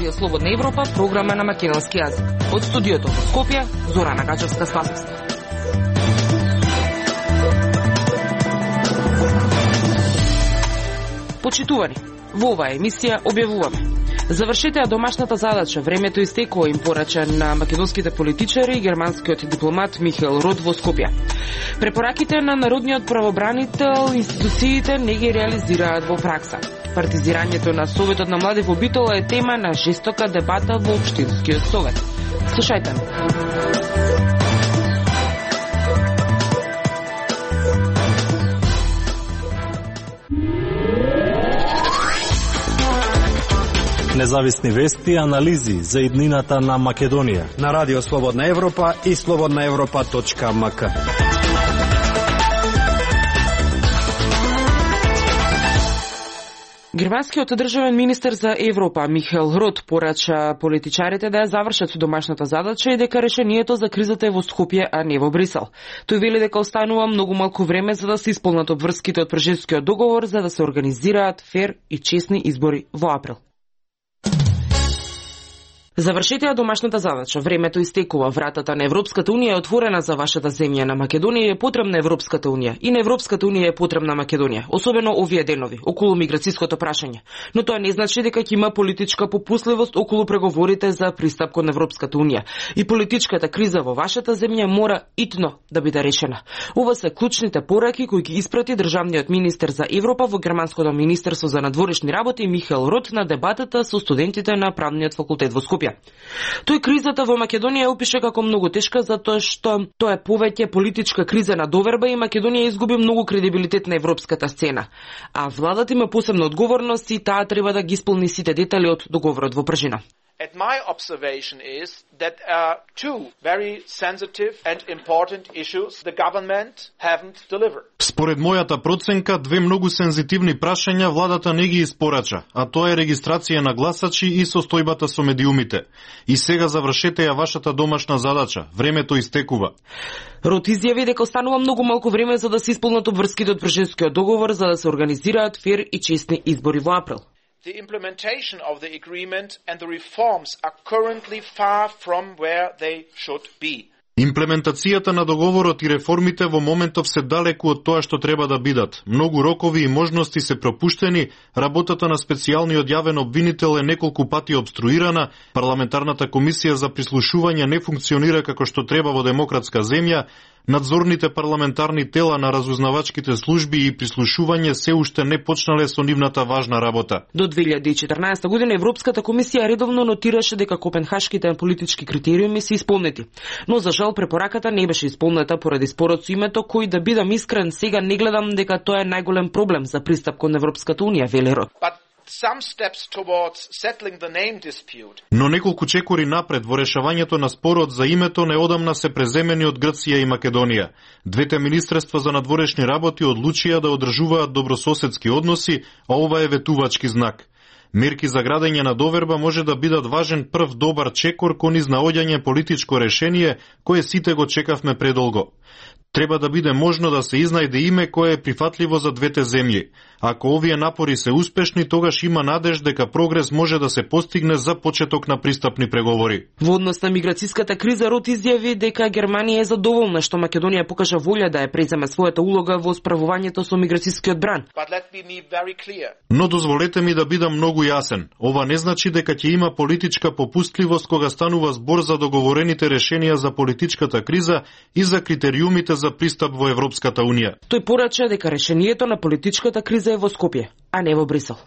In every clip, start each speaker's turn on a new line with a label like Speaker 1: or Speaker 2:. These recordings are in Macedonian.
Speaker 1: Радио Слободна Европа, програма на македонски јазик. Од студиото во Скопје, Зорана Гачевска-Спасовска. Почитувани, во оваа емисија објавуваме: завршете ја домашната задача, времето истекува, им порача на македонските политичари и германскиот дипломат Михаел Рот во Скопје. Препораките на народниот правобранител институциите не ги реализираат во пракса. Партизирањето на Советот на млади во Битола е тема на жестока дебата во Општинскиот совет. Слушајте ме.
Speaker 2: Независни вести и анализи за иднината на Македонија
Speaker 3: на Радио Слободна Европа и slobodnaevropa.mk.
Speaker 1: Германскиот државен министер за Европа Михаел Рот порача политичарите да ја завршат со домашната задача и дека решението за кризата е во Скопје, а не во Брисел. Тој вели дека останува многу малку време за да се исполнат обврските од Прежевскиот договор за да се организираат фер и честни избори во април. Завршете ја домашната задача, времето истекува, вратата на Европската Унија е отворена за вашата земја. На Македонија е потребна Европската Унија и на Европската Унија е потребна Македонија, особено овие денови, околу миграцијското прашање. Но тоа не значи дека ќе има политичка попусливост околу преговорите за пристап кон Европската Унија. И политичката криза во вашата земја мора итно да биде решена. Ова се клучните пораки кои ги испрати државниот министер за Европа во Германското министерство за надворешни работи Михаел Рот на дебатата со студентите на правниот факултет во Скопје. Тој кризата во Македонија опише како многу тешка затоа што тоа е повеќе политичка криза на доверба и Македонија изгуби многу кредибилитет на европската сцена. А владата има посебна одговорност и таа треба да ги исполни сите детали од договорот во пржина.
Speaker 4: And my observation is that two very sensitive and important issues the government haven't delivered.
Speaker 5: Според мојата проценка, две многу сензитивни прашања владата не ги испорача, а тоа е регистрација на гласачи и состојбата со медиумите. И сега завршете ја вашата домашна задача. Времето истекува.
Speaker 1: Рот изјави дека останува многу малку време за да се исполнат обврските од Прежевскиот договор за да се организираат фер и честни избори во април.
Speaker 4: The implementation of the agreement and the reforms are currently far from where they should be.
Speaker 5: Имплементацијата на договорот и реформите во моментов се далеку од тоа што треба да бидат. Многу рокови и можности се пропуштени, работата на специјалниот јавен обвинител е неколку пати обструирана, парламентарната комисија за прислушување не функционира како што треба во демократска земја, надзорните парламентарни тела на разузнавачките служби и прислушување се уште не почнале со нивната важна работа.
Speaker 1: До 2014 година Европската комисија редовно нотираше дека копенхашките политички критериуми се исполнети, но за жал препораката не беше исполнета поради спорот со името, кој, да бидам искрен, сега не гледам дека тоа е најголем проблем за пристап кон Европската Унија, вели Рот.
Speaker 5: Но неколку чекори напред во решавањето на спорот за името неодамна се преземени од Грција и Македонија. Двете министерства за надворешни работи одлучија да одржуваат добрососедски односи, а ова е ветувачки знак. Мерки за градење на доверба може да бидат важен прв добар чекор кон изнаоѓање политичко решение кое сите го чекавме предолго. Треба да биде можно да се изнајде име кое е прифатливо за двете земји. Ако овие напори се успешни, тогаш има надеж дека прогрес може да се постигне за почеток на пристапни преговори.
Speaker 1: Во однос на миграцијската криза, Рот изјави дека Германија е задоволна што Македонија покажа волја да ја преземе својата улога во справувањето со миграцијскиот бран.
Speaker 5: Но дозволете ми да бидам многу јасен. Ова не значи дека ќе има политичка попустливост кога станува збор за договорените решенија за политичката криза и за критериумите за пристап во Европската Унија.
Speaker 1: Тој порача дека решението на политичката криза е во Скопје, а не во Брисел.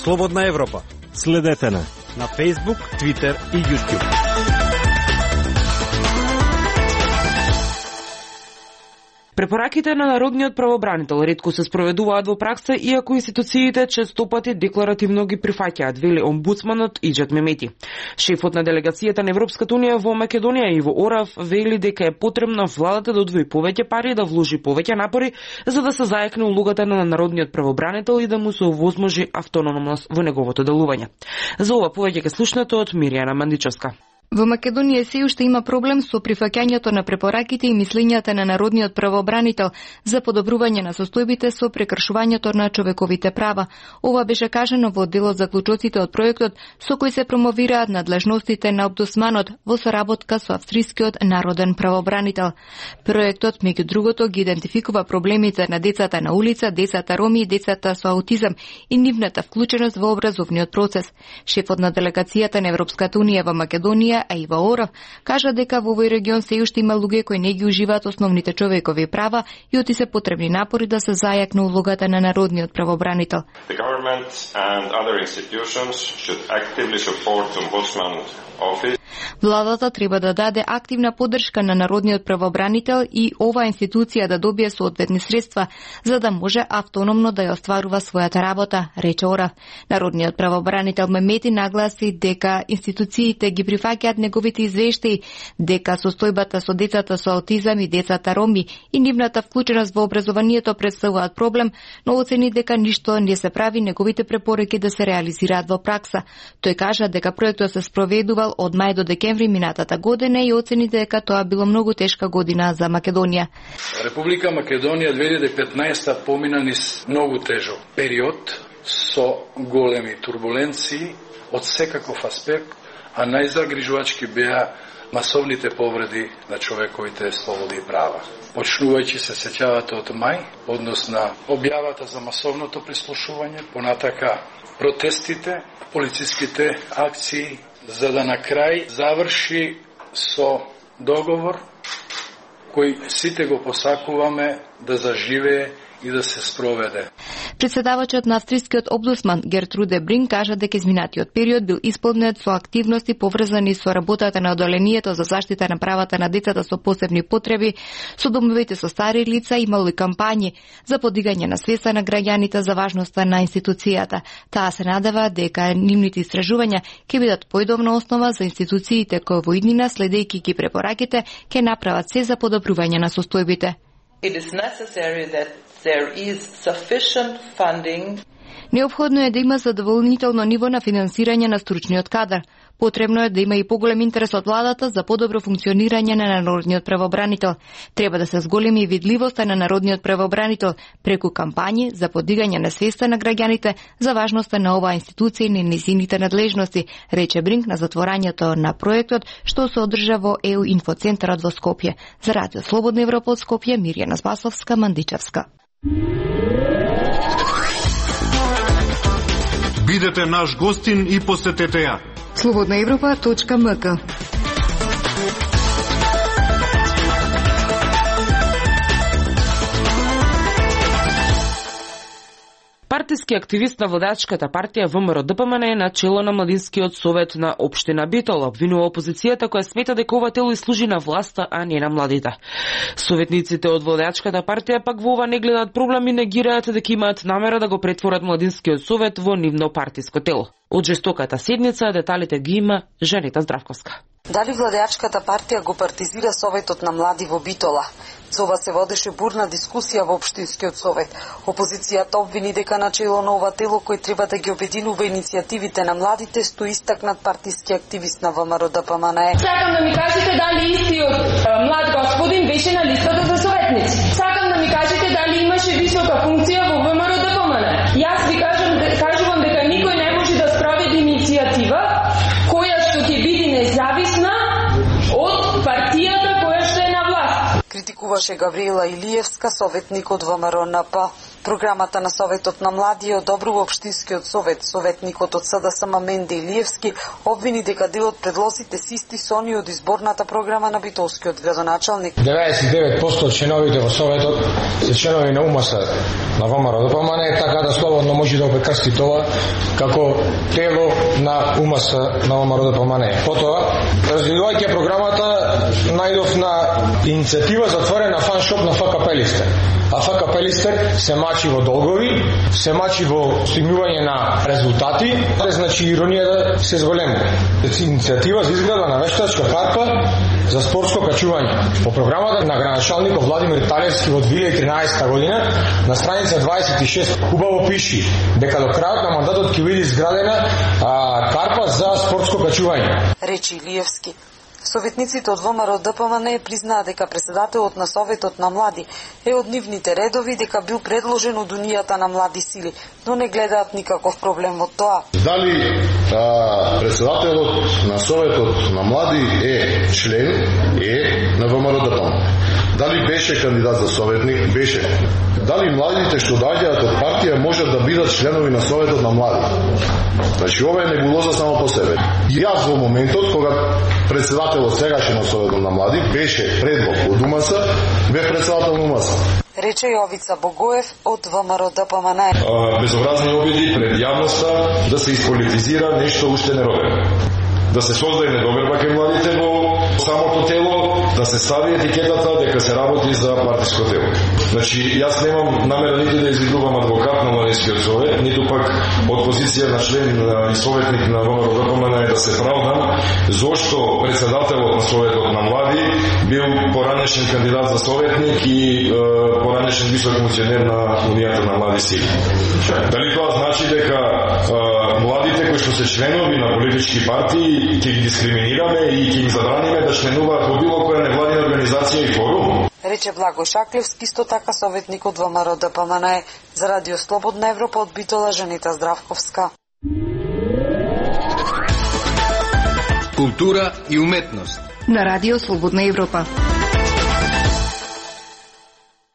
Speaker 3: Слободна Европа.
Speaker 2: Следете на
Speaker 3: Facebook, Twitter и YouTube.
Speaker 1: Препораките на народниот правобранител ретко се спроведуваат во пракса, иако институциите честопати декларативно ги прифаќаат, вели омбудсманот Иџет Мемети. Шефот на делегацијата на Европската Унија во Македонија Иво Орав вели дека е потребно владата да одвои повеќе пари, да вложи повеќе напори за да се заекне улогата на народниот правобранител и да му се овозможи автономност во неговото делување. За ова повеќе ке слушнете од Миријана Мандичевска.
Speaker 6: Во Македонија се уште има проблем со прифаќањето на препораките и мислењата на народниот правобранител за подобрување на состојбите со прекршувањето на човековите права. Ова беше кажано во дел од заклучоците од проектот со кој се промовираат надлежностите на омбудсманот во соработка со австрискиот народен правобранител. Проектот, меѓу другото, ги идентификува проблемите на децата на улица, децата роми и децата со аутизам и нивната вклученост во образовниот процес. Шефот на делегацијата на Европската унија во Македонија, Аива Оров, кажа дека во овој регион се уште има луѓе кои не ги уживаат основните човекови права и оти се потребни напори да се зајакне улогата на народниот правобранител.
Speaker 7: The government and other institutions should actively support the Ombudsman's office.
Speaker 6: Владата треба да даде активна поддршка на народниот правобранител и оваа институција да добие соодветни средства за да може автономно да ја остварува својата работа, рече Орав. Народниот правобранител Мемети нагласи дека институциите ги прифаќаат неговите извештаи, дека состојбата со децата со аутизам и децата роми и нивната вклученост во образованието представуваат проблем, но оцени дека ништо не се прави неговите препораки да се реализираат во пракса. Тој кажа дека проектот се спроведувал од мај до декември минатата година и оцени дека тоа било многу тешка година за Македонија.
Speaker 8: Република Македонија 2015 помина низ многу тежок период со големи турбуленции од секаков аспект, а најзагрижувачки беа масовните повреди на човековите слободи и права. Почнувајќи се сеќавате од мај, однос на објавата за масовното прислушување, понатака протестите, полициските акции, за да на крај заврши со договор кој сите го посакуваме да заживее и да се спроведе.
Speaker 6: Председавачот на австрискиот омбудсман Гертруде Бринк кажа дека изминатиот период бил исполнет со активности поврзани со работата на одделението за заштита на правата на децата со посебни потреби, со домовите со стари лица, имало и кампањи за подигање на свеста на граѓаните за важноста на институцијата. Таа се надева дека нивните истражувања ќе бидат поидобна основа за институциите кои во иднина, следејќи ги препораките, ќе направат се за подобрување на состојбите.
Speaker 9: It is necessary that there is sufficient funding.
Speaker 6: Неопходно е да има задоволнително ниво на финансирање на стручниот кадар. Потребно е да има и поголем интерес од владата за подобро функционирање на народниот правобранител. Треба да се зголеми и видливоста на народниот правобранител преку кампањи за подигање на свеста на граѓаните за важноста на оваа институција и на низините надлежности, рече Бринк на затворањето на проектот што се одржа во ЕУ инфоцентарот во Скопје. За Радио Слободна Европа од Скопје, Мирјана Спасовска, Мандичевска.
Speaker 5: Бидете наш гостин и посетете ја.
Speaker 6: slobodnaevropa.mk.
Speaker 1: Партиски активист на водачката партија ВМРО-ДПМН е на чело на Младинскиот совет на општина Битола, обвинува опозицијата која смета дека ова тело и служи на власта, а не на младите. Советниците од водачката партија пак во ова не гледаат проблем и негираат дека имаат намера да го претворат Младинскиот совет во нивно партиско тело. Од жестоката седница деталите ги има Жанета Здравковска.
Speaker 10: Дали владеачката партија го партизира Советот на млади во Битола? За ова се водеше бурна дискусија во Општинскиот совет. Опозицијата обвини дека начело на ова тело кој треба да ги обединува иницијативите на младите стои истакнат партиски активист на ВМРО-ДПМН.
Speaker 11: Сакам да ми кажете дали истиот млад господин беше на листата за советници. Сакам да ми кажете дали имаше висока функција во ВМРО-ДПМН. Јас ви кажувам дека никој не може да спроведи иницијатива која што ќе биде независна од партијата која што е на власт.
Speaker 10: Критикуваше Гавриела Илиевска, советник од ВМРО-НП. Програмата на Советот на млади одобрува Општинскиот совет. Советникот од СДСМ Менде Илиевски обвини дека дел од предлозите се исти со оние од изборната програма на битолскиот градоначалник.
Speaker 12: 99% од членовите во Советот се членови на УМС на ВМРО-ДПМН, така да слободно може да опрекрсти тоа како тело на УМС на ВМРО-ДПМН. Потоа, развивајќи програмата, најдов на иницијатива за отворена фаншоп на ФКП Листер. А ФКП Листер се мачи во долгови, се мачи во стигнување на резултати, значи иронија да се зголемува. Иницијатива за изграда на вештачка карпа за спортско качување. По програмата на граначалникот Владимир Талевски во 2013 година на страница 26 убаво пиши дека до крајот на мандатот ќе биде изградена карпа за спортско качување.
Speaker 10: Речи Илиевски. Советниците од ВМРО ДПМН признаа дека председателот на Советот на млади е од нивните редови, дека бил предложен од Унијата на млади сили, но не гледаат никаков проблем во тоа.
Speaker 13: Дали председателот на Советот на млади е член на ВМРО ДПМН? Дали беше кандидат за советник? Беше. Дали младите што доаѓаат од партија можат да бидат членови на Советот на млади? Значи, ова е небулоза само по себе. Јас во моментот, кога председателот сегашен на Советот на млади беше предлог од УМС, бев председател на УМС.
Speaker 10: Рече Јовица Богоев од ВМРО ДПМН.
Speaker 14: Безобразни обиди пред јавноста да се исполитизира нешто уште неробено. Да се создаде недоверба кај младите во самото тело, да се стави етикетата дека се работи за партиско тело. Значи, јас немам намера нити да изигрувам адвокат на Младинскиот совет, ниту пак од позиција на член и советник на ВМРО ДПМН да се правдам зошто председателот на Советот на млади бил поранешен кандидат за советник и поранешен висок функционер на Унијата на млади сили. Дали тоа значи дека младите кои што се членови на политички партии ќе ги дискриминираме и ќе ги забраниме да членуваат во било која невладина организација и форум?
Speaker 10: Рече Благој Шаклевски, исто така советник од ВМРО ДПМН. За Радио Слободна Европа од Битола, Жанита Здравковска.
Speaker 15: Култура и уметност
Speaker 6: на Радио Слободна Европа.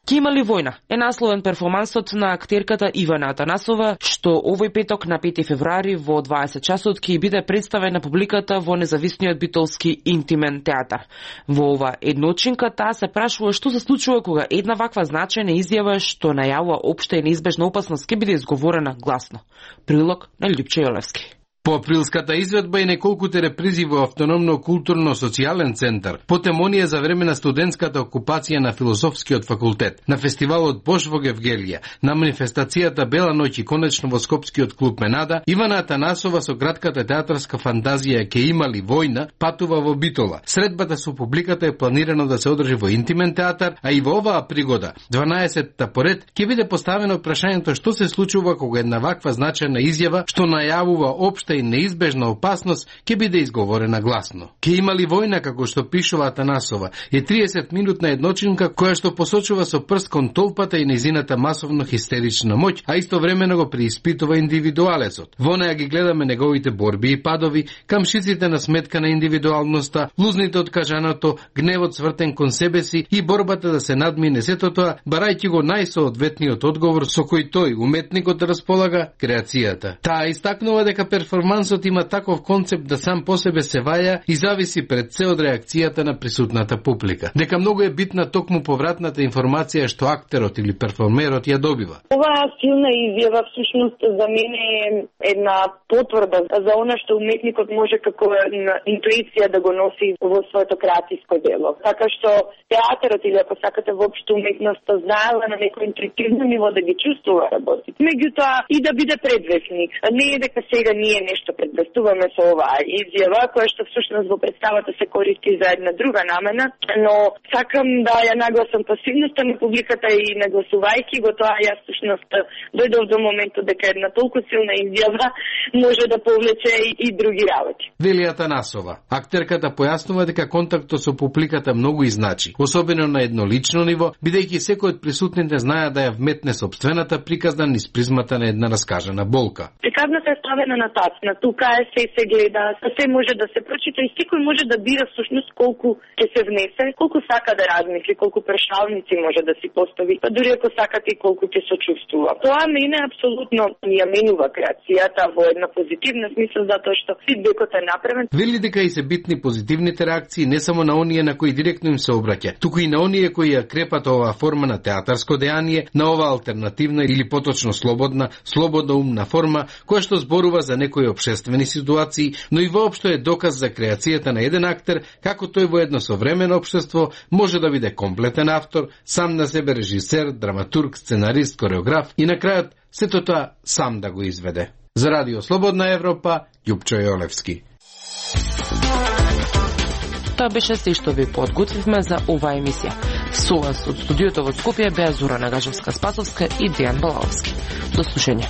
Speaker 1: Ке има ли војна? Е насловен перформансот на актерката Ивана Атанасова, што овој петок на 5 февруари во 20 часот ќе биде представен на публиката во независниот битолски интимен театар. Во ова едночинка таа се прашува што се случува кога една ваква значајна изјава што најавува општа и неизбежна опасност ќе биде изговорена гласно. Прилог на Љупче Јолевски.
Speaker 16: По априлската изведба и неколкуте репризи во Автономно културно-социјален центар, потем оние за време на студентската окупација на Философскиот факултет, на фестивалот Бош во Гевгелија, на манифестацијата Бела ноќ и конечно во Скопскиот клуб Менада, Ивана Атанасова со кратката театарска фантазија Ке има ли војна патува во Битола. Средбата со публиката е планирано да се одржи во интимен театар, а и во оваа пригода, 12-та поред, ќе биде поставено прашањето што се случува кога една ваква значајна изјава што најавува општа и неизбежна опасност ќе биде изговорена гласно. Ке има ли војна, како што пишува Атанасова, е 30-минутна едночинка која што посочува со прст кон толпата и незината масовно хистерична моќ, а истовремено го преиспитува индивидуалецот. Во неја ги гледаме неговите борби и падови, камшиците на сметка на индивидуалноста, лузните од кажаното, гневот свртен кон себе си и борбата да се надмине сето тоа, барајќи го најсоодветниот одговор со кој тој, уметникот, располага креацијата. Таа истакнува дека перформансот има таков концепт да сам по себе се ваја и зависи пред се од реакцијата на присутната публика. Дека многу е битна токму повратната информација што актерот или перформерот ја добива.
Speaker 17: Оваа силна изјава всушност за мене е една потврда за она што уметникот може како интуиција да го носи во своето креативско дело. Така што театарот или ако сакате воопшто уметноста знаела на некој интуитивно ниво да ги чувствува работи. Меѓутоа и да биде предвестник. Не е дека сега ние нешто предвестуваме со оваа изјава, која што всушност во представата се користи за една друга намена, но сакам да ја нагласам пасивноста на публиката и нагласувајќи го тоа, јас всушност дојдов до моментот дека една толку силна изјава може да повлече и други работи.
Speaker 16: Вели Атанасова. Актерката појаснува дека контактот со публиката многу и значи, особено на еднолично ниво, бидејќи секој од присутните знае да ја вметне собствената приказна низ призмата на една раскажана болка.
Speaker 17: Приказната е ставена на тацна, тука е се гледа, се може да се прочита и секој може да бира всушност колку ќе се внесе, колку сака да размисли, колку прашалници може да си постави, па дури ако сакате и колку ќе сочувствува. Тоа мене апсолутно ја менува креацијата во една позитивна смисла, затоа што фидбекот е направен.
Speaker 16: Вели дека и се битни позитивните реакции не само на оние на кои директно им се обраќа, туку и на оние кои ја крепат оваа форма на театарско дејание, на оваа алтернативна или поточно слободна умна форма, која што зборува за некои општествени неочекувани ситуации, но и воопшто е доказ за креацијата на еден актер, како тој во едно современо општество може да биде комплетен автор, сам на себе режисер, драматург, сценарист, кореограф и на крајот сето тоа сам да го изведе. За Радио Слободна Европа, Љупчо Јолевски.
Speaker 1: Тоа беше се што ви подготвивме за оваа емисија. Со вас од студиото во Скопје беа Зора Нагажевска-Спасовска и Дејан Балаовски. До слушање.